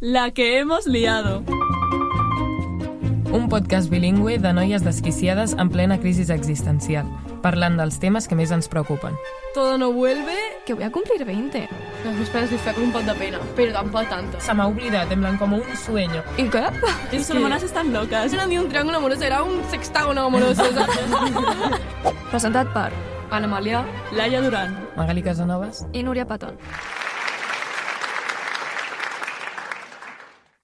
La que hemos liado. Un podcast bilingüe de noies desquiciades en plena crisi existencial, parlant dels temes que més ens preocupen. Todo no vuelve. Que voy a cumplir 20. Los mis padres les fue con un pot de pena, pero tampoco tanto. Se m'ha oblidat, en plan com un sueño. ¿Y qué? Esas hermanas están locas. No era ni un triángulo amoroso, era un sextágono amoroso. Presentat per Ana Amalia, Laia Duran. Magali Casanovas. i Núria Patón.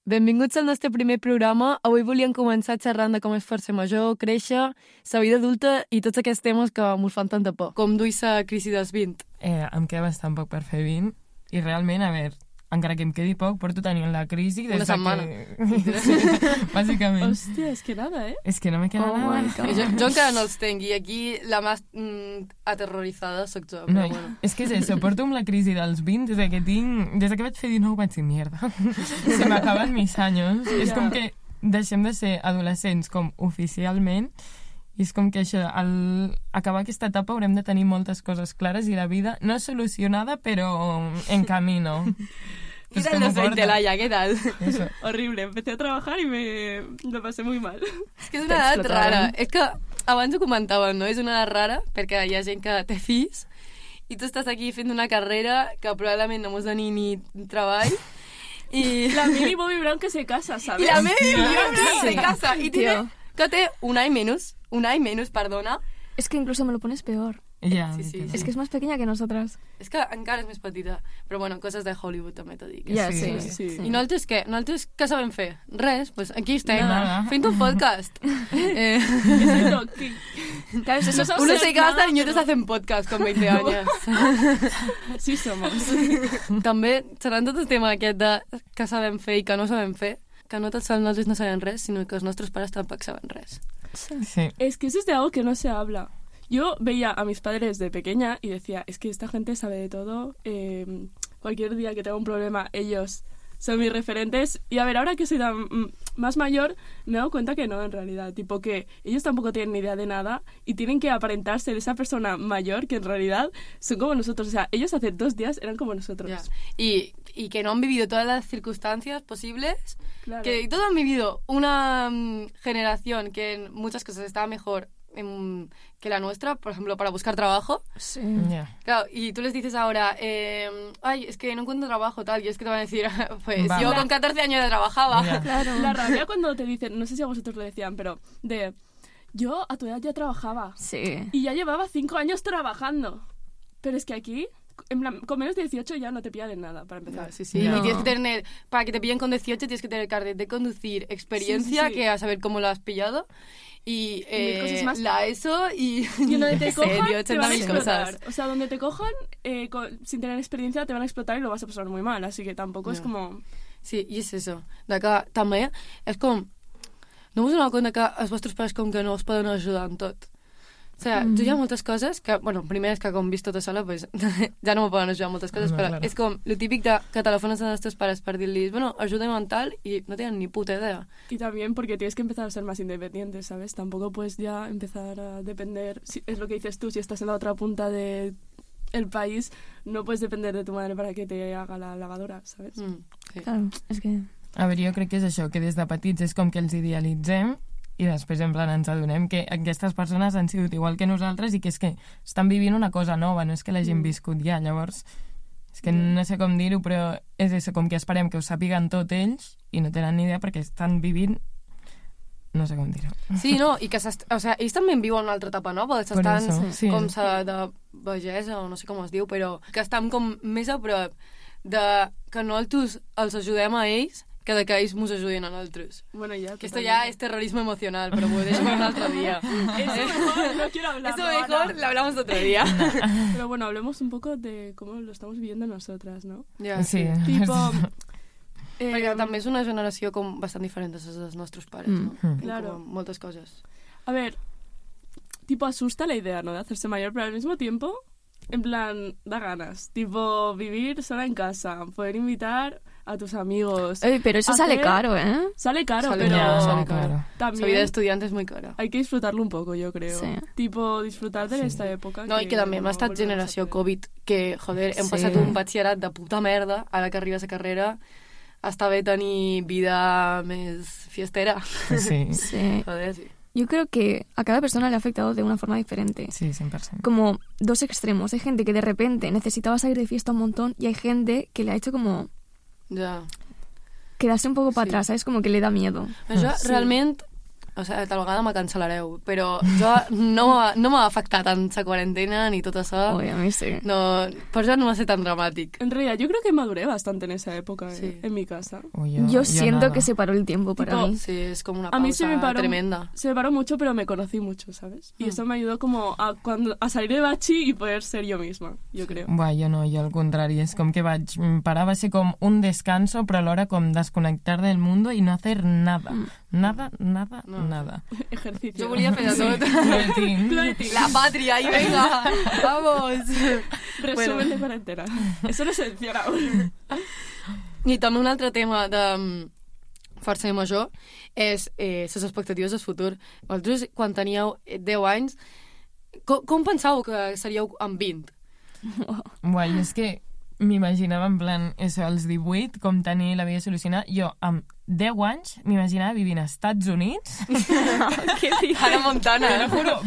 Benvinguts al nostre primer programa. Avui volíem començar xerrant de com és fer-se major, créixer, la vida adulta i tots aquests temes que mos fan tanta por. Com duir la crisi dels 20. Em queda bastant poc per fer 20 i realment, a veure, encara que em quedi poc, porto tenint la crisi des Una setmana. Sí, bàsicament. Hòstia, és que nada, eh? És que no me queda nada. Jo encara no els tenc i aquí la més aterrorizada soc jo. No, Però bueno. és que és això, porto amb la crisi dels 20 des que vaig fer 19 vaig dir, mierda, se m'acaben mis anys. És com que deixem de ser adolescents com oficialment i és com que això, al acabar aquesta etapa haurem de tenir moltes coses clares i la vida no és solucionada, però en camino. ¿Qué tal los 20, Laia? ¿Qué tal? Eso. Horrible, empecé a trabajar y me lo pasé muy mal. És que és una edat rara. És que abans ho comentàvem, no? És una edat rara perquè hi ha gent que té fills i tu estàs aquí fent una carrera que probablement no mos doni ni treball i... La Mili Bobby Brown que se casa, ¿sabes? I la Mili Brown Sí. se casa i Tío. que té un any menys, perdona. Es que incluso me lo pones peor. Ja, Sí. Es que es más pequeña que nosotras. És que encara és més petita. Però bueno, coses de Hollywood també t'ho dic. Ja, Sí. sí. I nosaltres què? Nosaltres què sabem fer? Res, pues aquí estem, Nada. fent un podcast. Exacto, que- Claro, eso No es... sabes Uno hacer se casa nada, y otros pero- hacen podcast con 20 años. Sí somos. També serà tot el tema aquest de que sabem fer i que no sabem fer, que no tots els nostres no sabem res, sinó que els nostres pares tampoc saben res. Sí. Es que eso es de algo que no se habla. Yo veía a mis padres de pequeña y decía, es que esta gente sabe de todo, cualquier día que tenga un problema, ellos son mis referentes. Y a ver, ahora que soy más mayor, me he dado cuenta que no, en realidad. Tipo que ellos tampoco tienen ni idea de nada y tienen que aparentar ser esa persona mayor que en realidad son como nosotros. O sea, ellos hace 2 días eran como nosotros. Ya. Y que no han vivido todas las circunstancias posibles, Claro. que todos han vivido una generación que en muchas cosas estaba mejor que la nuestra, por ejemplo, para buscar trabajo. Sí. Ja. Claro, y tú les dices ahora, ay, es que no encuentro trabajo, tal, y es que te van a decir, pues Va. yo con 14 años ya trabajaba. Ja. Claro. La rabia cuando te dicen, no sé si a vosotros lo decían, pero de, yo a tu edad ya trabajaba. Sí. Y ya llevaba 5 años trabajando. Pero es que aquí, en plan, con menos de 18 ya no te pillan nada, para empezar. Sí, sí. No. Y tienes que tener, para que te pillen con 18, tienes que tener carnet de conducir, experiencia, Sí, sí, sí. que a saber cómo lo has pillado, y mil cosas más. la ESO, y Y donde te en serio, cojan, te van a 80.000 explotar. cosas. O sea, donde te cojan, sin tener experiencia, te van a explotar y lo vas a pasar muy mal. Así que tampoco es No. como... Sí, i és això. De que també és com... No us doneu compte que els vostres pares com que no us poden ajudar en tot? O sigui, tu hi ha moltes coses que... Bueno, primer és que com visc tota sola, pues, ja no me poden ajudar en moltes coses, No, però claro. és com lo típic de que telefones als nostres pares per dir-los, bueno, ajuda'm en tal, i no tenen ni puta idea. Y también porque tienes que empezar a ser más independiente, ¿sabes? Tampoco puedes ya empezar a depender... es lo que dices tú, si estás en la otra punta del país, no puedes depender de tu madre para que te haga la lavadora, ¿sabes? Sí. Claro, es que... A veure, jo crec que és això, que des de petits és com que els idealitzem i després en plan ens adonem que aquestes persones han sigut igual que nosaltres i que és que estan vivint una cosa nova, no és que l'hagin viscut ja, llavors és que no sé com dir-ho, però és això, com que esperem que ho sàpiguen tot ells i no tenen ni idea perquè estan vivint no sé com dir-ho. Sí, no, i que o sigui, ells també viuen una altra etapa nova, Per estan això, sí. com de vegesa, o no sé com es diu, però que estan com més a prop de que nosaltres els ajudem a ells que de que ells mos ajudin a nosaltres. Bueno, ya... Que esto ya es terrorismo emocional, pero pues eso para otro día. Eso mejor, no quiero hablar. Eso mejor lo hablamos otro día. Pero bueno, hablemos un poco de cómo lo estamos viviendo nosotras, ¿no? Ja, Sí. Tipo... Perquè també és una generació com bastant diferent a les dels nostres pares, no? I Claro. com moltes coses. A ver, tipo asusta la idea, ¿no? De hacerse mayor, pero al mismo tiempo, en plan, da ganas. Tipo, vivir sola en casa, poder invitar a tus amigos. Pero eso sale caro, ¿eh? Sale caro, Sale pero caro, Ja, sale claro. La también vida de estudiante es muy cara. hay que disfrutarlo un poco, yo creo. Sí. Tipo, disfrutar de esta época. No, i que també hem no estat volveremos a generació hacer. Covid, que, joder, hem Sí. passat un batxillerat de puta merda, ara que arriba la carrera, està bé tenir vida més fiestera. Sí, Sí. Joder, sí. Yo creo que a cada persona le ha afectado de una forma diferente. sí, 100%. Como dos extremos. Hay gente que de repente necesitaba salir de fiesta un montón y hay gente que le ha hecho como Ja. quedarse un poco para Sí. atrás, ¿sabes? Como que le da miedo. Això Sí. realment, o sigui, tal vegada me cancel·lareu, però jo no m'ha afectat tant la quarantena ni tot això. Oye, a mí sí. No, per això no va ser tan dramàtic. En realidad, yo creo que maduré bastante en esa época, Sí. en mi casa. Uy, Yo siento nada. que se paró el tiempo para Tipo, mí. Sí, és com una A mí se me pausa paró tremenda. Se me paró mucho, pero me conocí mucho, ¿sabes? Y eso me ayudó como a salir de bachi y poder ser yo misma, yo creo. Buah, jo no, jo al contrari, és com que vaig parar, va ser com un descanso, però alhora com desconnectar del mundo i no hacer nada. Nada, nada, No. nada. Ejercicio. Jo volia fer de tot. Cloetín. La pàtria, i venga, vamos. Resumen Bueno. de cuarentena. Eso no se menciona aún. I també un altre tema de força major és les expectatives del futur. Vosaltres, quan teníeu 10 anys, com pensàveu que seríeu amb 20? Buah, jo és que m'imaginava en plan, això, als 18, com tenir la vida solucionada. Jo, amb 10 anys, m'imaginava vivint als Estats Units, Hannah Montana. te lo juro,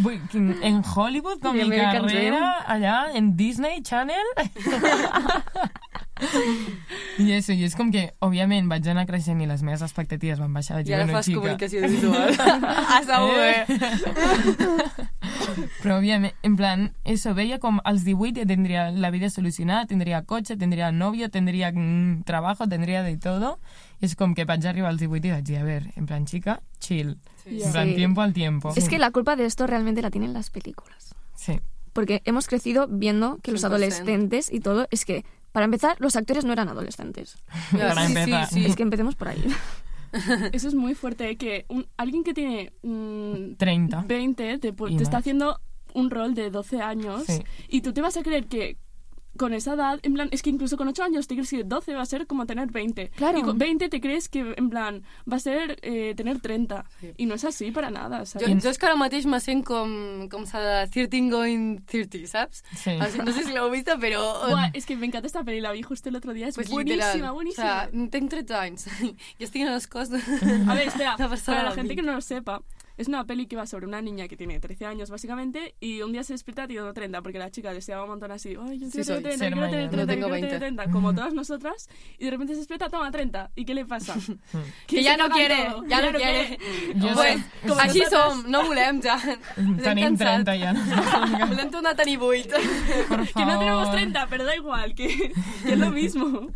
en Hollywood, con The mi American carrera, allà, en Disney Channel. I això, i és com que, òbviament, vaig anar creixent i les meves expectatives van baixar. Vaig I ara dir, fas xica, comunicació visual. A saber. Però, òbviament, en plan, eso, veia com als 18 ja tindria la vida solucionada, tindria cotxe, tindria novio, tindria trabajo, tindria de todo. I és com que vaig arribar als 18 i vaig dir, a ver, en plan, chica, chill. Sí. En plan, Sí. tiempo al tiempo. Es que la culpa de esto realmente la tienen las películas. Sí. Porque hemos crecido viendo que los 100%. adolescentes y todo, es que, para empezar, los actores no eran adolescentes. Ja, Para empezar. Es que empecemos por ahí. Eso es muy fuerte, ¿eh? Que alguien que tiene 30. 20 Y te más. está haciendo un rol de 12 años Sí. y tú te vas a creer que con esa edad, en plan, es que incluso con 8 años te crees que 12 va a ser como tener 20. Claro. Y con 20 te crees que, en plan, va a ser tener 30. Sí. Y no es así para nada, Jo, ¿sabes? jo és que ara mateix me sent com s'ha de 13 going 30, saps? Sí. O sigui, no sé si l'heu vista, però... Buah, es que me encanta esta peli, la vi justo el otro día, es Pues buenísima, literal. buenísima. O sea, tenc 13 anys i estic en l'escós de... A ver, espera, Una persona para la de gente que 20. no lo sepa, es una peli que va sobre una niña que tiene 13 años básicamente y un día se despierta teniendo 30 porque la chica deseaba un montón así, ay, yo Sí, quiero soy. tener 30, Ser quiero tener mayor. 30, No tengo quiero tener 20. 30, como todas nosotras, y de repente se despierta, toma 30, ¿y qué le pasa? Que se ja no caga quiere, todo, ja no lo quiere. Jo Pues, sé. Com així nosaltres. som, no volem ja. Ens hem Tenim cansat. 30 ja. Volem tornar a tenir 8. Por Que no tenemos favor. 30, pero da igual, que es lo mismo.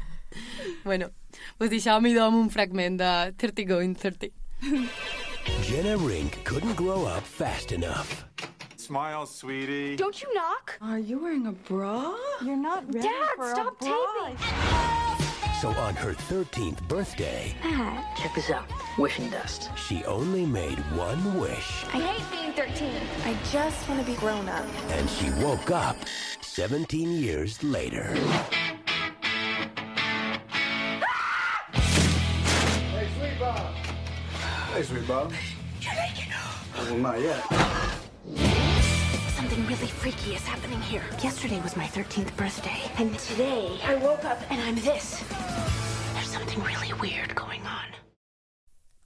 Bueno, pues deixeu-m'hi amb un fragment de 30 going 30. Jenna Rink couldn't grow up fast enough. Smile, sweetie. Don't you knock? Are you wearing a bra? You're not ready Dad, for stop a bra. So on her 13th birthday, Check this out. Wishing dust. she only made one wish, I hate being 13. I just want to be grown up. and she woke up 17 years later. Hey, sweet Bob. Well, not yet. Something really freaky is happening here. Yesterday was my 13th birthday, and today I woke up and I'm this. There's something really weird going on.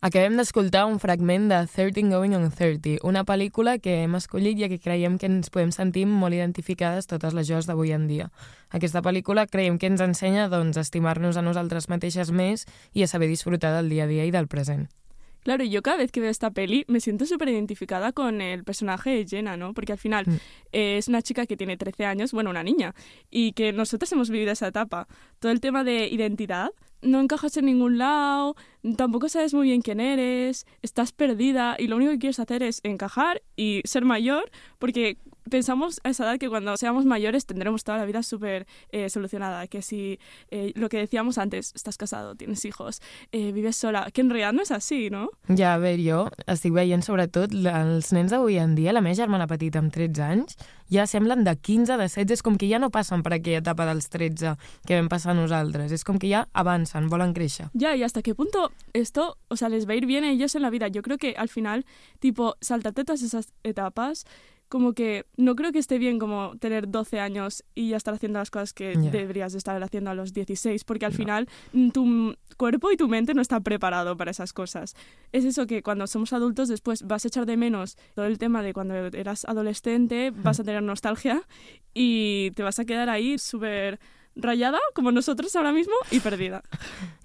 Acabem d'escoltar un fragment de 13 Going on 30, una pel·lícula que hem escollit ja que creiem que ens podem sentir molt identificades totes les joves d'avui en dia. Aquesta pel·lícula creiem que ens ensenya doncs, a estimar-nos a nosaltres mateixes més i a saber disfrutar del dia a dia i del present. Claro, yo cada vez que veo esta peli me siento súper identificada con el personaje de Jenna, ¿no? Porque al final es una chica que tiene 13 años, bueno, una niña, y que nosotros hemos vivido esa etapa. Todo el tema de identidad, no encajas en ningún lado, tampoco sabes muy bien quién eres, estás perdida y lo único que quieres hacer es encajar y ser mayor, porque pensamos a esa edad que cuando seamos mayores tendremos toda la vida súper solucionada, que si lo que decíamos antes, estás casado, tienes hijos, vives sola, que en realidad no és així, no? Ja, a veure, jo estic veient sobretot els nens d'avui en dia, la meva germana petita amb 13 anys, ja semblen de 15, de 16, és com que ja no passen per aquella etapa dels 13 que vam passar nosaltres, és com que ja avancen, volen créixer. Ya, y hasta qué punto esto, o sea, les va a ir bien a ellos en la vida. Yo creo que al final, tipo, saltarte todas esas etapas como que no creo que esté bien como tener 12 años y ya estar haciendo las cosas que deberías estar haciendo a los 16, porque al final tu cuerpo y tu mente no está preparado para esas cosas. Es eso que cuando somos adultos después vas a echar de menos todo el tema de cuando eras adolescente, vas a tener nostalgia y te vas a quedar ahí súper ratllada, com nosaltres ara mismo, i perdida.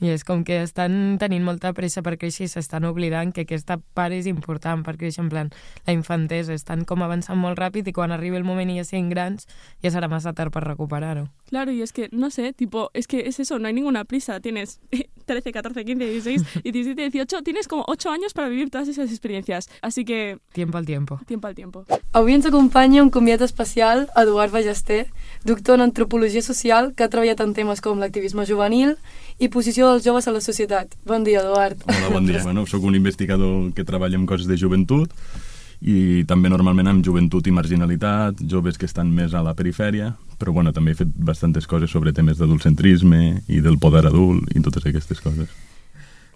I és com que estan tenint molta pressa per créixer i s'estan oblidant que aquesta part és important per créixer, en plan, la infantesa, estan com avançant molt ràpid i quan arribi el moment i ja siguin grans ja serà massa tard per recuperar-ho. Claro, y es que, no sé, tipo, es que es eso, no hay ninguna prisa, tienes 13, 14, 15, 16 y 17, 18, tienes como 8 años para vivir todas esas experiencias, así que... Tiempo al tiempo. Tiempo al tiempo. Avui ens acompanya un convidat especial, Eduard Ballester, doctor en Antropologia Social, que ha treballat en temes com l'activisme juvenil i posició dels joves a la societat. Bon dia, Eduard. Hola, bon dia. Bueno, soc un investigador que treballa en coses de joventut i també normalment amb joventut i marginalitat, joves que estan més a la perifèria, però bueno, també he fet bastantes coses sobre temes d'adultcentrisme i del poder adult i totes aquestes coses.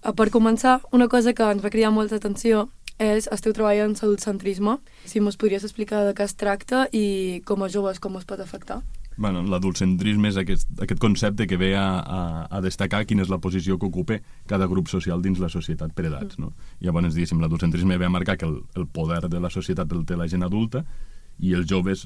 Per començar, una cosa que ens va cridar molta atenció és el teu treball en adultcentrisme. Si mos podries explicar de què es tracta i com a joves com es pot afectar? Bueno, l'adultcentrisme és aquest concepte que ve a destacar quina és la posició que ocupa cada grup social dins la societat per edats, no? Llavors, diguéssim, l'adultcentrisme ve a marcar que el poder de la societat el té la gent adulta i els joves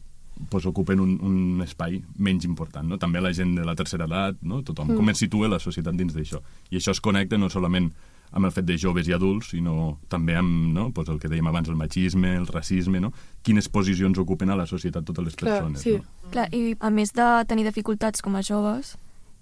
pues, ocupen un espai menys important, no? També la gent de la tercera edat, no? Tothom, com es situa la societat dins d'això. I això es connecta no solament amb el fet de joves i adults, sinó també amb, no? Pues el que dèiem abans, el machisme, el racisme, no? Quines posicions ocupen a la societat totes les persones. Sí. No? Clar, i a més de tenir dificultats com a joves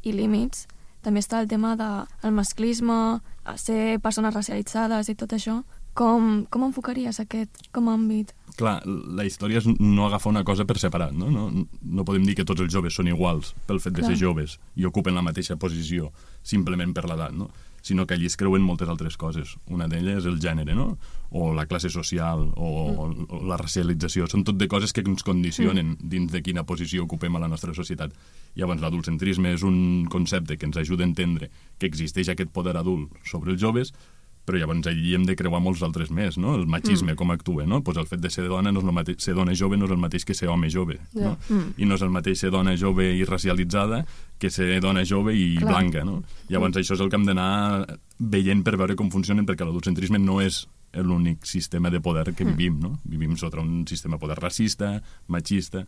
i límits, també està el tema del masclisme, ser persones racialitzades i tot això. Com enfocaries aquest com a àmbit? Clar, la història és no agafar una cosa per separat, no? No podem dir que tots els joves són iguals pel fet de ser joves i ocupen la mateixa posició simplement per l'edat, no? Sinó que allí es creuen moltes altres coses. Una d'elles és el gènere, no? O la classe social, o la racialització. Són tot de coses que ens condicionen dins de quina posició ocupem a la nostra societat. Llavors, l'adultcentrisme és un concepte que ens ajuda a entendre que existeix aquest poder adult sobre els joves, però llavors allí hem de creuar molts altres més, no? El machisme, com actua, no? Pues el fet de ser dona, no és el mateix, ser dona jove no és el mateix que ser home jove, no? I no és el mateix ser dona jove i racialitzada que ser dona jove i blanca, no? Llavors això és el que hem d'anar veient per veure com funcionen, perquè l'adultcentrisme no és l'únic sistema de poder que vivim, no? Vivim sota un sistema de poder racista, machista.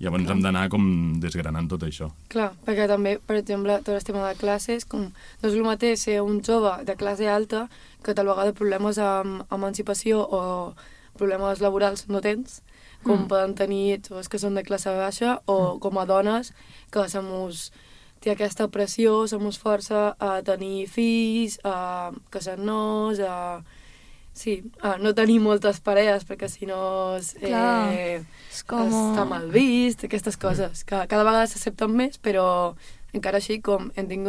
Llavors hem d'anar com desgranant tot això. Clar, perquè també, per exemple, tot el tema de classes, com no és el mateix ser un jove de classe alta que tal vegada problemes amb emancipació o problemes laborals no tens, com poden tenir joves que són de classe baixa o com a dones que té aquesta pressió, som força a tenir fills, a casar-nos, no tenir moltes parelles perquè si no està mal vist, aquestes coses que cada vegada s'accepten més, però encara així com tenim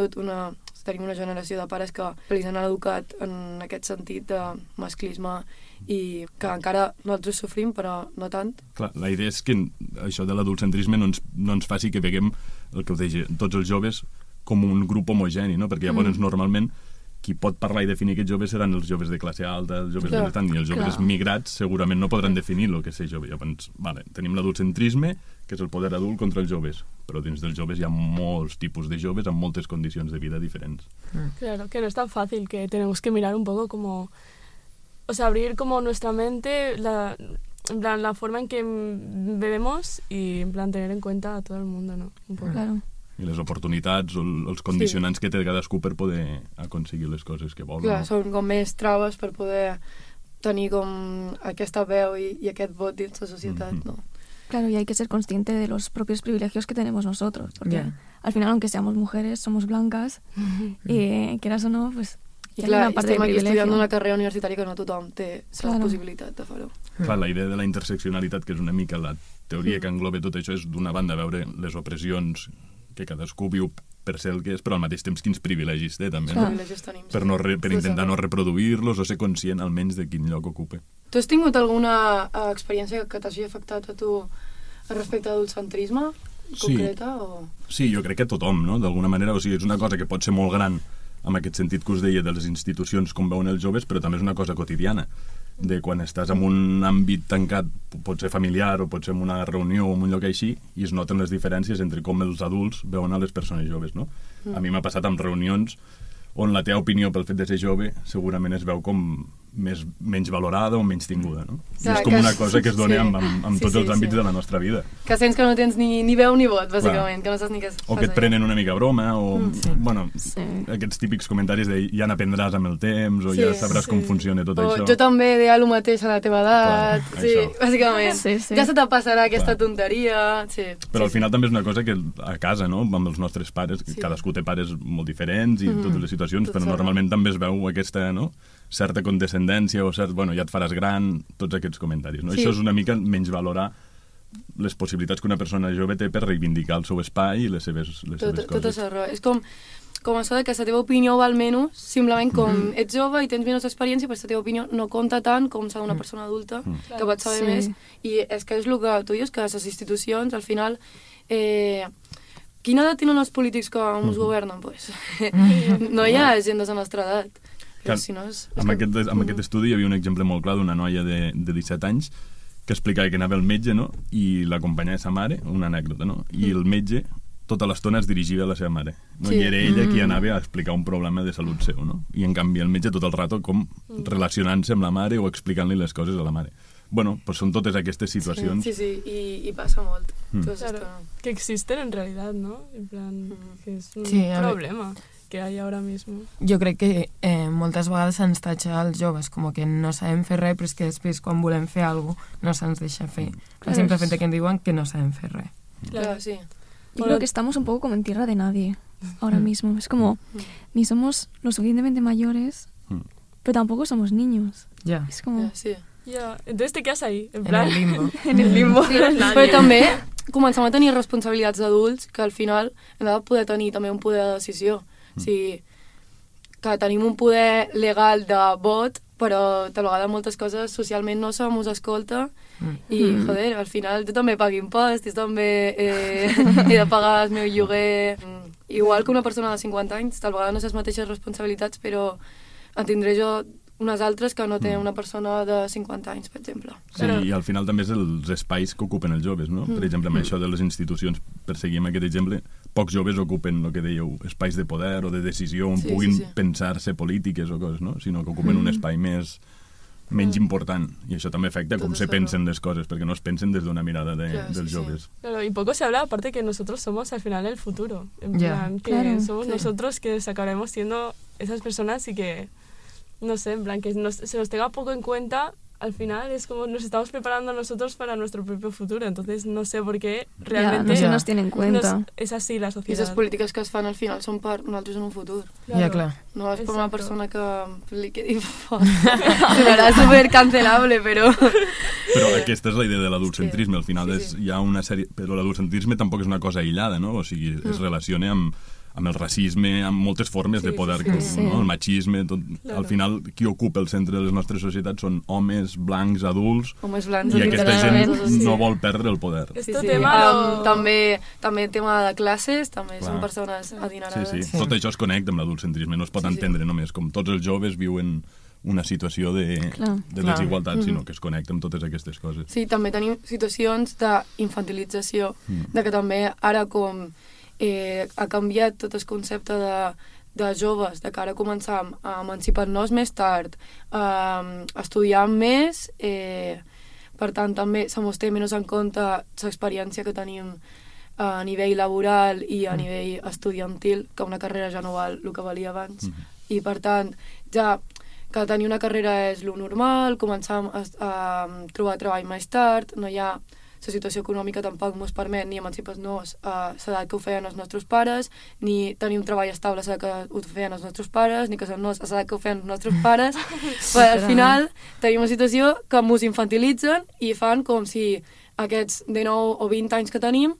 una generació de pares que els han educat en aquest sentit de masclisme i que encara nosaltres sofrim, però no tant. Clar, la idea és que això de l'adultcentrisme no ens faci que veguem el que us deia, tots els joves com un grup homogeni, no? Perquè llavors normalment qui pot parlar i definir aquests joves seran els joves de classe alta, els joves benestant, i els joves migrats segurament no podran definir el que és ser jove. Llavors, tenim l'adultcentrisme, que és el poder adult contra els joves, però dins dels joves hi ha molts tipus de joves amb moltes condicions de vida diferents. Claro, que no es tan fácil, que tenemos que mirar un poco como... O sea, abrir como nuestra mente, en plan, la forma en que bebemos y en plan tener en cuenta a todo el mundo, ¿no? Un poco. Claro. I les oportunitats o els condicionants que té cadascú per poder aconseguir les coses que vol. Clar, no? són com més traves per poder tenir com aquesta veu y aquest vot dins la societat, ¿no? Claro, y hay que ser consciente de los propios privilegios que tenemos nosotros, porque al final, aunque seamos mujeres, somos blancas, y quieras o no, pues I clar, estem aquí estudiant una carrera universitària que no tothom té la possibilitat de fer-ho. Clar, la idea de la interseccionalitat, que és una mica la teoria que engloba tot això, és d'una banda veure les opressions que cadascú viu per ser el que és, però al mateix temps quins privilegis té, també, no? Per intentar no reproduir-los o ser conscient almenys de quin lloc ocupa. Tu has tingut alguna experiència que t'hagi afectat a tu respecte a l'adultcentrisme concreta? Sí, jo crec que tothom, no? D'alguna manera, o sigui, és una cosa que pot ser molt gran amb aquest sentit que us deia de les institucions com veuen els joves, però també és una cosa quotidiana. de quan estàs en un àmbit tancat, pot ser familiar o pot ser en una reunió o en un lloc així, i es noten les diferències entre com els adults veuen a les persones joves, no? A mi m'ha passat amb reunions on la teva opinió pel fet de ser jove segurament es veu com menys valorada o menys tinguda, no? I és com una cosa que es dona amb tots els àmbits de la nostra vida. Que sents que no tens ni veu ni vot, bàsicament, que no saps ni què o que et prenen una mica broma, o bueno, aquests típics comentaris de ja n'aprendràs amb el temps, o ja sabràs com funciona tot això. Jo també deia el mateix a la teva edat, bàsicament. Ja se te passarà aquesta tonteria, Però al final també és una cosa que a casa, no?, amb els nostres pares, cadascú té pares molt diferents i totes les situacions, però normalment també es veu aquesta, no?, certa condescendència o cert, bueno, ja et faràs gran, tots aquests comentaris, no? Això és una mica menys valorar les possibilitats que una persona jove té per reivindicar el seu espai i les seves coses. Tot això, és com això de que la teva opinió val menys, simplement com ets jove i tens menys experiència, però la teva opinió no compta tant com s'ha d'una persona adulta, que pot saber més, i és que és el que tu dius, que les institucions, al final, quina edat tenen els polítics que ens governen? Pues, no hi ha gent de la nostra edat. Amb aquest estudi hi havia un exemple molt clar d'una noia de 17 anys que explicava que anava al metge, no?, i l'acompanyava sa mare, una anècdota, no?, i el metge tota l'estona es dirigia a la seva mare, no? I era ella qui anava a explicar un problema de salut seu, no? I en canvi el metge tot el rato com relacionant-se amb la mare o explicant-li les coses a la mare. Bueno, pues són totes aquestes situacions. Sí, i passa molt. Claro, que existen en realidad, ¿no? En plan, que es un problema que hay ahora mismo. Jo crec que moltes vegades se'ns tatxa als joves com que no sabem fer res, però és que després quan volem fer alguna cosa no se'ns deixa fer. El simple fet que ens diuen que no sabem fer res. Claro, sí. Yo creo que estamos un poco como en tierra de nadie ahora mismo. Es como, ni somos lo suficientemente mayores, pero tampoco somos niños. Ya. Es como... Ya, entonces te quedas ahí, en plan... En el limbo. En el limbo. Sí, però també comencem a tenir responsabilitats d'adults que al final hem de poder tenir també un poder de decisió. O sigui, que tenim un poder legal de vot, però tal vegada moltes coses socialment no se mos escolta i, joder, al final jo també pago impost, jo també he de pagar el meu lloguer. Igual que una persona de 50 anys, tal vegada no sé les mateixes responsabilitats, però en tindré jo unes altres que no té una persona de 50 anys, per exemple. Sí, i al final també és els espais que ocupen els joves, no? Per exemple, amb això de les institucions, per seguir amb aquest exemple, pocs joves ocupen, el que dèieu, espais de poder o de decisió on puguin pensar-se polítiques o coses, no? Sinó que ocupen un espai menys important. I això també afecta com se pensen les coses, perquè no es pensen des d'una mirada dels joves. Claro, y poco se habla, aparte que nosotros somos al final el futuro. En plan, que somos nosotros que acabaremos siendo esas personas y que... no sé, en plan, que se nos tenga poco en cuenta, al final es como nos estamos preparando nosotros para nuestro propio futuro, entonces no sé por qué realmente no se nos tiene en cuenta. Es así la sociedad. I les polítiques que es fan al final són per nosaltres en un futur. Claro. Ja, clar. No és per una persona que li quedi fort. Serà supercancelable, però... Però aquesta és la idea de l'adultcentrisme, al final hi ha una sèrie... Però l'adultcentrisme tampoc és una cosa aïllada, no? O sigui, es relaciona amb el racisme, amb moltes formes de poder, no? El machisme, tot. Al final, qui ocupa el centre de les nostres societats són homes blancs, adults, homes blancs, i aquesta gent no vol perdre el poder. També tema de classes, també són persones adinerades. Sí. Tot això es connecta amb l'adultcentrisme, no es pot entendre només com tots els joves viuen una situació de desigualtat, sinó que es connecta amb totes aquestes coses. Sí, també tenim situacions d'infantilització, de que també ara com ha canviat tot el concepte de joves, de que ara començam a emancipar-nos més tard, a estudiar més, per tant també se mos té menys en compte l'experiència que tenim a nivell laboral i a nivell estudiantil, que una carrera ja no val el que valia abans, i per tant ja que tenir una carrera és lo normal, començam a trobar treball més tard, no hi ha... La situació econòmica tampoc ens permet ni emancipar-nos a l'edat que ho feien els nostres pares, ni tenir un treball estable a l'edat que ho feien els nostres pares, ni casar-nos a l'edat que ho feien els nostres pares. Però al final tenim una situació que ens infantilitzen i fan com si aquests 19 o 20 anys que tenim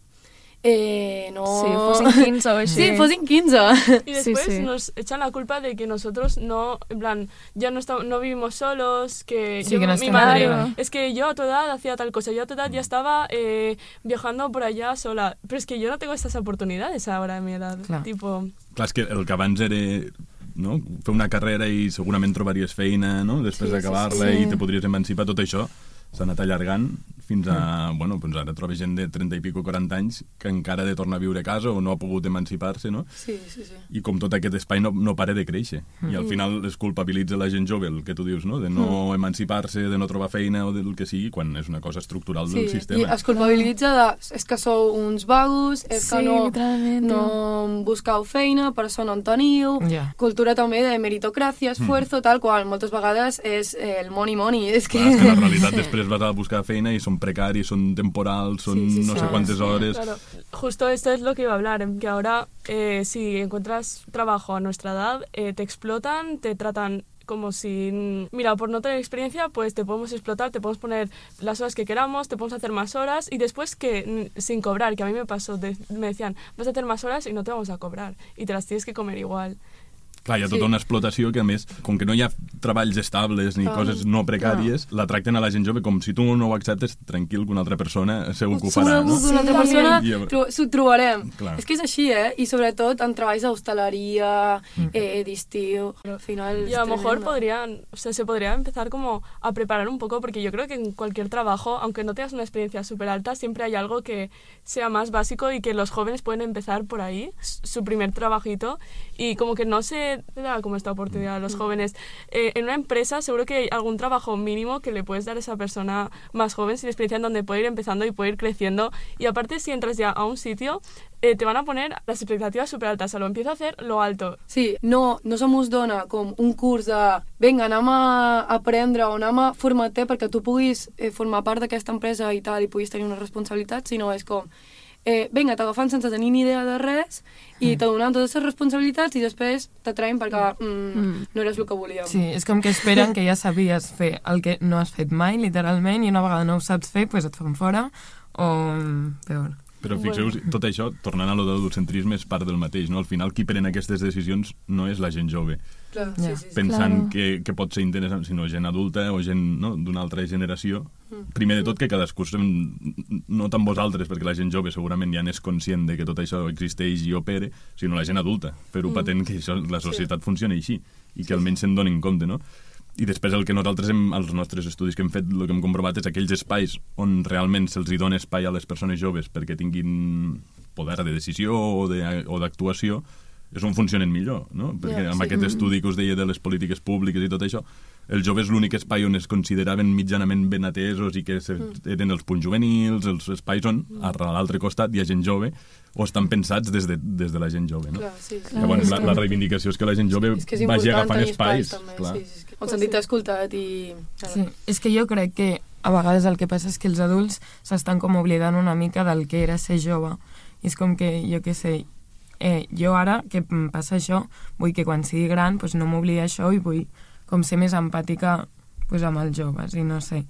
fossin 15 o així. Sí, fossin 15. Y después nos echan la culpa de que nosotros no, en plan, ya no vivimos solos, que mi madre, es que yo a tu edad hacía tal cosa, yo a tu edad ya estaba viajando por allá sola, pero es que yo no tengo estas oportunidades ahora a mi edad. Clar, és que el que abans era no? Fer una carrera i segurament trobaries feina, no? Després d'acabar-la i te podries emancipar, tot això s'ha anat allargant fins a... Bueno, doncs ara trobes gent de 30 i pico, 40 anys que encara ha de tornar a viure a casa o no ha pogut emancipar-se, no? Sí. I com tot aquest espai no para de créixer. I al final es culpabilitza la gent jove, el que tu dius, no? De no emancipar-se, de no trobar feina o del que sigui, quan és una cosa estructural del sistema. I es culpabilitza de... És que sou uns vagos, és que no buscau feina, per això no en teniu. Cultura també de meritocràcia, esfuerzo, tal qual. Moltes vegades és el money. És que la realitat després vas a buscar feina i són precaris, són temporals, son no sé cuántas horas. Claro. Justo esto es lo que iba a hablar, que ahora si encuentras trabajo a nuestra edad, te explotan, te tratan como si, mira, por no tener experiencia, pues te podemos explotar, te podemos poner las horas que queramos, te podemos hacer más horas y después que sin cobrar, que a mí me pasó, me decían, vas a hacer más horas y no te vamos a cobrar y te las tienes que comer igual. Clar, hi ha tota una explotació que, a més, com que no hi ha treballs estables ni coses no precàries, la tracten a la gent jove com si tu no ho acceptes, tranquil, que una altra persona segur que ho farà, no? Una altra persona s'ho trobarem. Clar. És que és així, I sobretot en treballs d'hostaleria, d'estiu, al final... Y a lo mejor se podría empezar como a preparar un poco, porque yo creo que en cualquier trabajo, aunque no tengas una experiencia súper alta, siempre hay algo que sea más básico y que los jóvenes pueden empezar por ahí, su primer trabajito, y como que no se da como esta oportunidad a los jóvenes. En una empresa seguro que hay algún trabajo mínimo que le puedes dar a esa persona más joven sin experiencia en donde puede ir empezando y puede ir creciendo. Y aparte, si entras ya a un sitio, te van a poner las expectativas súper altas. O sea, lo empieza a hacer lo alto. Sí, no se mos dona com un curs de vinga, anem a aprendre o anem a formar-te perquè tu puguis formar part d'aquesta empresa i tal, i puguis tenir una responsabilitat, sinó és com vinga, t'agafant sense tenir ni idea de res i te donen totes les responsabilitats i després t'atraiem perquè no eres el que volíem. Sí, és com que esperen que ja sabies fer el que no has fet mai, literalment, i una vegada no ho saps fer, doncs et fan fora o peor. Però fixeu-vos, tot això, tornant a lo de l'adultcentrisme, és part del mateix, no? Al final, qui pren aquestes decisions no és la gent jove. Pensant que pot ser interessant, sinó gent adulta o gent d'una altra generació. Primer de tot, que cadascú, no tant vosaltres, perquè la gent jove segurament ja n'és conscient de que tot això existeix i opera, sinó la gent adulta, fer-ho patent que la societat funciona així i que almenys se'n donin compte, no? I després el que nosaltres, als nostres estudis que hem fet, el que hem comprovat és aquells espais on realment se'ls dona espai a les persones joves perquè tinguin poder de decisió o d'actuació, és on funcionen millor, no? Perquè amb aquest estudi que us deia de les polítiques públiques i tot això, els joves l'únic espai on es consideraven mitjanament ben atesos i que eren els punts juvenils, els espais on a l'altre costat hi ha gent jove o estan pensats des de la gent jove, no? Llavors la reivindicació és que la gent jove vagi agafant espais. El sentit escoltat i... Sí, és que jo crec que a vegades el que passa és que els adults s'estan com oblidant una mica del que era ser jove. I és com que, jo què sé, jo ara que em passa això, vull que quan sigui gran no m'oblidi això i vull com ser més empàtica amb els joves i no sé.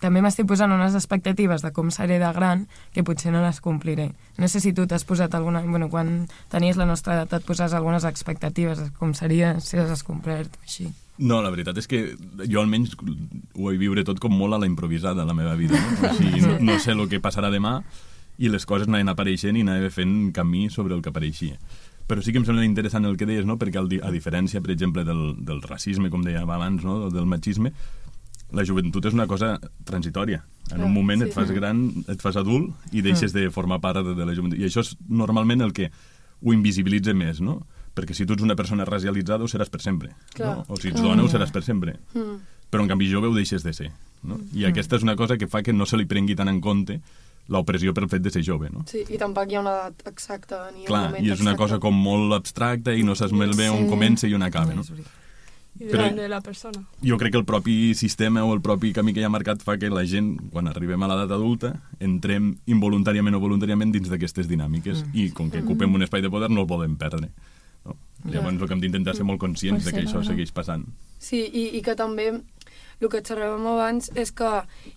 També m'estic posant unes expectatives de com seré de gran que potser no les compliré. No sé si tu t'has posat alguna... Bueno, quan tenies la nostra edat et poses algunes expectatives de com seria si les has complert així. No, la veritat és que jo almenys ho vull viure tot com molt a la improvisada, la meva vida. No? Així, no sé el que passarà demà i les coses anaven apareixent i anaven fent camí sobre el que apareixia. Però sí que em sembla interessant el que deies, no? Perquè a diferència, per exemple, del racisme, com deia abans, no? Del machisme, la joventut és una cosa transitòria. En un moment et fas gran, et fas adult i deixes de formar part de la joventut. I això és normalment el que ho invisibilitza més, no? Perquè si tu ets una persona racialitzada ho seràs per sempre, no? O si ets dona ho seràs per sempre. Però en canvi jove ho deixes de ser, no? I aquesta és una cosa que fa que no se li prengui tant en compte l'opressió pel fet de ser jove, no? Sí, i tampoc hi ha una edat exacta ni un moment exacte. I és una cosa com molt abstracta i no saps molt bé on comença i on acaba, no? I depèn de la persona. Jo crec que el propi sistema o el propi camí que hi ha marcat fa que la gent, quan arribem a l'edat adulta, entrem involuntàriament o voluntàriament dins d'aquestes dinàmiques i com que ocupem un espai de poder no el podem perdre. No? Llavors el que hem d'intentar ser molt conscients de que això segueix passant. Sí, i que també el que xerràvem abans és que,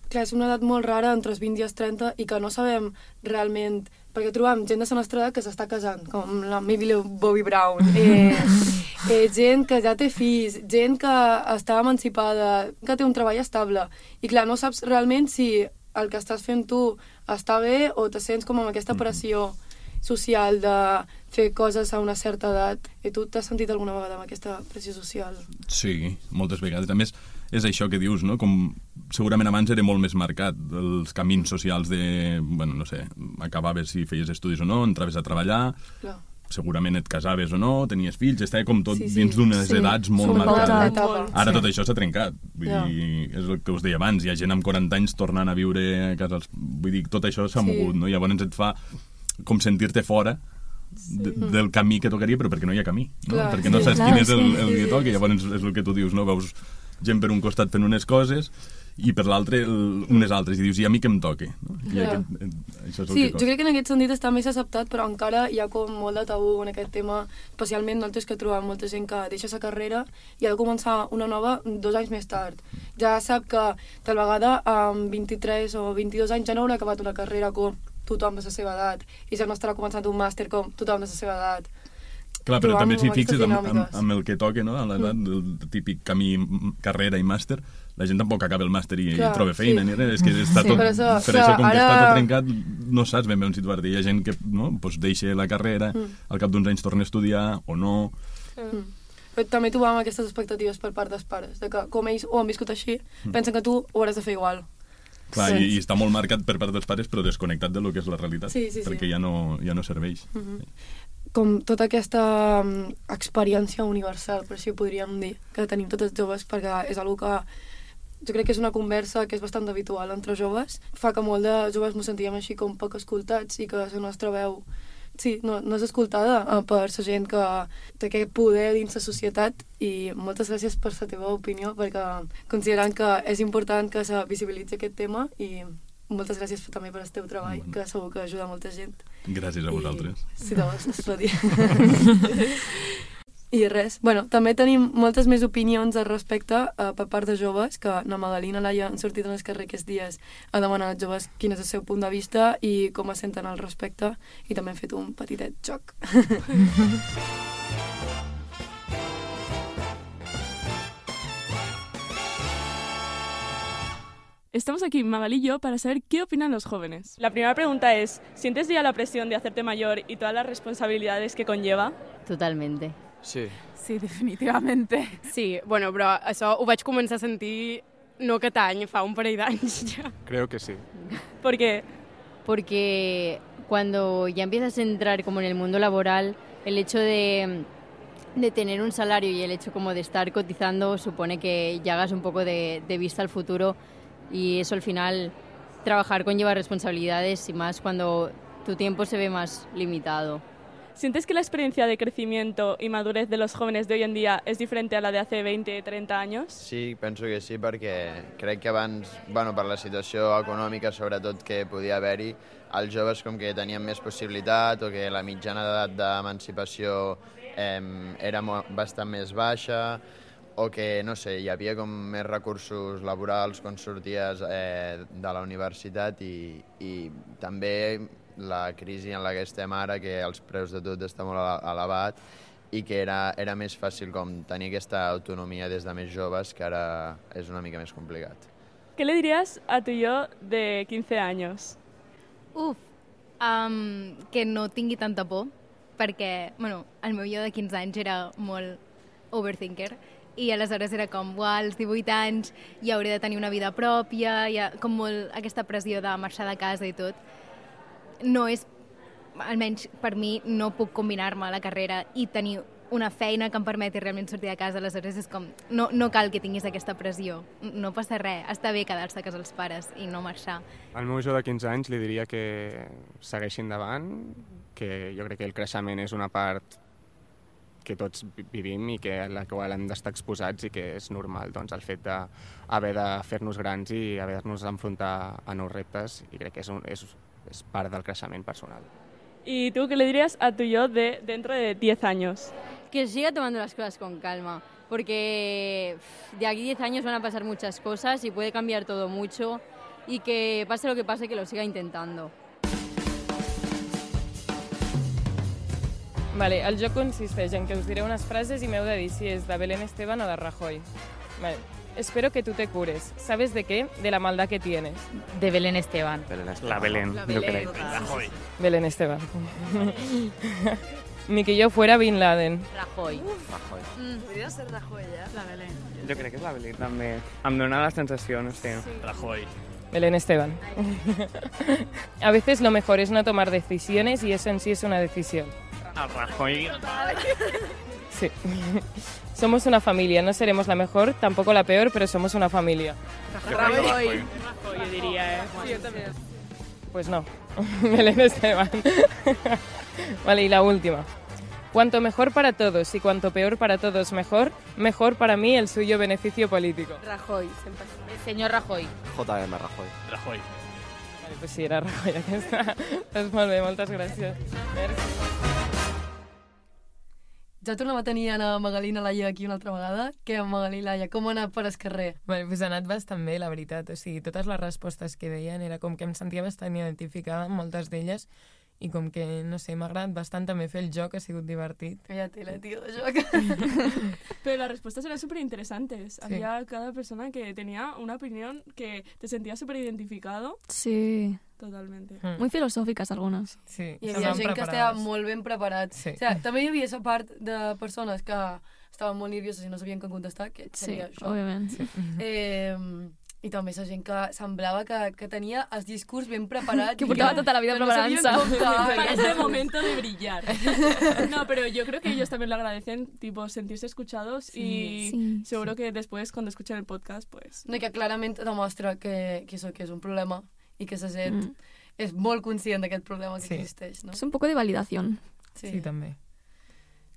clar, és una edat molt rara entre els 20 i els 30 i que no sabem realment, perquè trobem gent de la nostra edat que s'està casant, com la Maybe Bobby Brown, gent que ja té fills, gent que està emancipada, que té un treball estable, i clar, no saps realment si el que estàs fent tu està bé o te sents com amb aquesta pressió social de fer coses a una certa edat. I tu t'has sentit alguna vegada amb aquesta pressió social? Sí, moltes vegades. A més, és això que dius, no? Com segurament abans era molt més marcat els camins socials de, bueno, no sé, acabaves si feies estudis o no, entraves a treballar, Clar. segurament et casaves o no, tenies fills, estava com tot dins d'unes edats molt marcades. Ara tot això s'ha trencat. Vull dir, és el que us deia abans, hi ha gent amb 40 anys tornant a viure a casa. Vull dir, tot això s'ha mogut, no? Llavors et fa com sentir-te fora del camí que tocaria, però perquè no hi ha camí, no? Clar, perquè no saps quin és el que toca, llavors és el que tu dius, no? Veus gent per un costat fent unes coses i per l'altre unes altres, i dius, i a mi què em toca? No? I això és el que jo crec que en aquest sentit està més acceptat, però encara hi ha com molt de tabú en aquest tema, especialment nosaltres que trobem molta gent que deixa la carrera i ha de començar una nova 2 anys més tard. Ja sap que tal vegada amb 23 o 22 anys ja no haurà acabat una carrera com tothom de la seva edat, i ja no estarà començant un màster com tothom de la seva edat. Clar, però també si fixes amb el que toca, no? A l'edat del típic camí carrera i màster, la gent tampoc acaba el màster i troba feina, ni res. És que està tot, per això, com que està tot trencat, no saps ben bé on situar-te. Hi ha gent que deixa la carrera, al cap d'uns anys torna a estudiar o no. Però també trobàvem aquestes expectatives per part dels pares, de que com ells ho han viscut així, pensen que tu ho hauràs de fer igual. Clar, i està molt marcat per part dels pares, però desconnectat de lo que és la realitat, perquè ja no serveix. Com tota aquesta experiència universal, per així ho podríem dir, que tenim tots els joves, perquè és una que jo crec que és una conversa que és bastant habitual entre joves, fa que molt de joves ens sentíem així com poc escoltats i que la nostra veu no és escoltada per la gent que té aquest poder dins la societat. I moltes gràcies per la teva opinió, perquè considerant que és important que se visibilitzi aquest tema, i moltes gràcies també per el teu treball, que segur que ajuda molta gent. Gràcies a vosaltres. Sí, de vos, es pot dir. I res, també tenim moltes més opinions al respecte per part de joves, que na Magalina i Laia han sortit en el carrer aquests dies a demanar als joves quin és el seu punt de vista i com es senten al respecte, i també hem fet un petitet joc. Estamos aquí, Magali y yo, para saber qué opinan los jóvenes. La primera pregunta es, ¿sientes ya la presión de hacerte mayor y todas las responsabilidades que conlleva? Totalmente. Sí. Sí, definitivamente. Sí, bueno, però això ho vaig començar a sentir no aquest any, fa un parell d'anys ja. Creo que sí. ¿Por qué? Porque cuando ya empiezas a entrar como en el mundo laboral, el hecho de tener un salario y el hecho como de estar cotizando supone que ya hagas un poco de vista al futuro, y eso al final, trabajar conlleva responsabilidades y más cuando tu tiempo se ve más limitado. ¿Sientes que la experiencia de crecimiento y madurez de los jóvenes de hoy en día es diferente a la de hace 20, 30 años? Sí, penso que sí, perquè crec que abans, per la situació econòmica sobretot que podia haver-hi, els joves com que tenien més possibilitat, o que la mitjana d'edat d'emancipació era bastant més baixa, o que, no sé, hi havia com més recursos laborals quan sorties de la universitat, i també la crisi en la que estem ara, que els preus de tot està molt elevat, i que era més fàcil com tenir aquesta autonomia des de més joves, que ara és una mica més complicat. ¿Qué le dirías a tu yo de 15 años? Que no tingui tanta por, perquè, el meu jo de 15 anys era molt overthinker, i aleshores era com, als 18 anys ja hauré de tenir una vida pròpia, hi ha com molt aquesta pressió de marxar de casa i tot. No és, almenys per mi, no puc combinar-me la carrera i tenir una feina que em permeti realment sortir de casa, aleshores és com, no cal que tinguis aquesta pressió, no passa res, està bé quedar-se a casa els pares i no marxar. Al meu jo de 15 anys li diria que segueixi endavant, que jo crec que el creixement és una part que tots vivim i que a la qual hem d'estar exposats, i que és normal, doncs, el fet d'haver de fer-nos grans i haver-nos d'enfrontar a nous reptes, i crec que es parte del crecimiento personal. ¿Y tú qué le dirías a tu yo de dentro de 10 años? Que siga tomando las cosas con calma, porque de aquí 10 años van a pasar muchas cosas y puede cambiar todo mucho, y que pase lo que pase, que lo siga intentando. Vale, el joc consisteix en que us diré unes frases i m'heu de dir si és de Belén Esteban o de Rajoy. Vale. espero que tú te cures. ¿Sabes de qué? De la maldad que tienes. De Belén Esteban. La Belén, yo crec. Rajoy. Belén Esteban. Ni que yo fuera Bin Laden. Rajoy. Podria ser Rajoy, La Belén. Jo crec que és la Belén, també. Em dóna la sensació, no sé. Rajoy. Belén Esteban. A veces lo mejor es no tomar decisiones y eso en sí es una decisión. El Rajoy. Sí. Somos una familia, no seremos la mejor, tampoco la peor, pero somos una familia. Rajoy, yo diría, Sí, yo también. Pues no, Belén Esteban. Vale, y la última. Cuanto mejor para todos y cuanto peor para todos mejor, mejor para mí el suyo beneficio político. Rajoy, sempre. El señor Rajoy. JM Rajoy. Rajoy. Vale, pues sí, era Rajoy aquesta. Doncs molt bé, moltes gràcies. Merci. Ja tornem a tenir Anna Magalí i Laia aquí una altra vegada. Què, Magalí i Laia, com ha anat per el carrer? Vale, pues ha anat bastant bé, la veritat. O sigui, totes les respostes que deien era com que em sentia bastant identificada amb moltes d'elles i com que, no sé, m'ha agradat bastant també fer el joc, ha sigut divertit. Calla tela, tío, de joc. Pero las respuestas eran súper interesantes. Había cada persona que tenía una opinión que te sentías súper identificado. Sí. Totalmente. Muy filosòfiques, algunes. Sí, Hi havia gent que estava molt ben preparat. Sí. O sigui, també hi havia aquesta part de persones que estaven molt nervioses i no sabien com contestar, que Sí, seria això. òbviament. Sí. I també aquesta gent que semblava que tenia el discurs ben preparat. Que portava tota la vida preparant-se. Para este momento de brillar. No, pero yo creo que ellos también lo agradecen, tipo, sentirse escuchados y seguro que después, cuando escuchen el podcast, pues... No, i que clarament demostra que això que és un problema i que la gent és molt conscient d'aquest problema que existeix, no? És un poco de validación. Sí, també.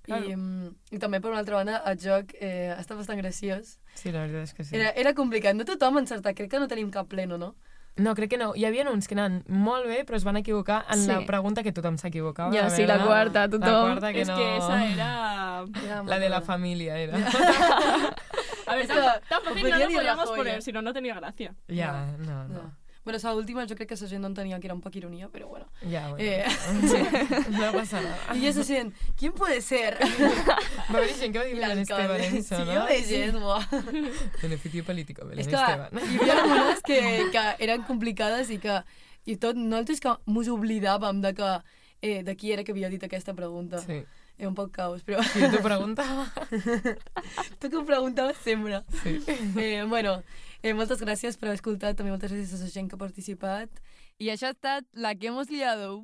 I també, per una altra banda, el joc està bastant graciós. Sí, la veritat és que sí. Era complicat, no tothom encertat, crec que no tenim cap pleno, no? No, crec que no. Hi havia uns que anaven molt bé, però es van equivocar en la pregunta que tothom s'equivocava. Ja, sí, la quarta, tothom. La quarta que es no... que esa era... La de la familia era. A ver, tan fácil no lo podíamos poner, si no, no tenía gracia. Ja, no. Bueno, la última jo crec que la gent no entenia que era un poc ironia, però bueno. Ja, bueno. Sí. No passa nada. I esa gent, ¿quién puede ser? Va haver gent que va dir Belén Esteban en això, no? Sí, jo veig gent, buah. Beneficio político, Belén És que Esteban. hi havia algunes que eren complicades i que i tot, nosaltres que mos oblidàvem de qui era que havia dit aquesta pregunta. Sí. Era un poc caos, però... Sí, t'ho preguntava. Tu que ho preguntaves sempre. Sí. Bueno, moltes gràcies per haver escoltat, també moltes gràcies a la gent que ha participat. I això ha estat La que hemos liado.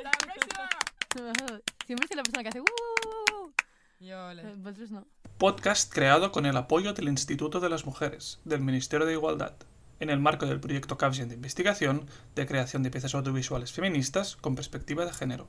¡La próxima! Siempre soy la persona que hace Vosotros no. Podcast creado con el apoyo del Instituto de las Mujeres, del Ministerio de Igualdad, en el marco del proyecto Capgen de investigación de creación de piezas audiovisuales feministas con perspectiva de género.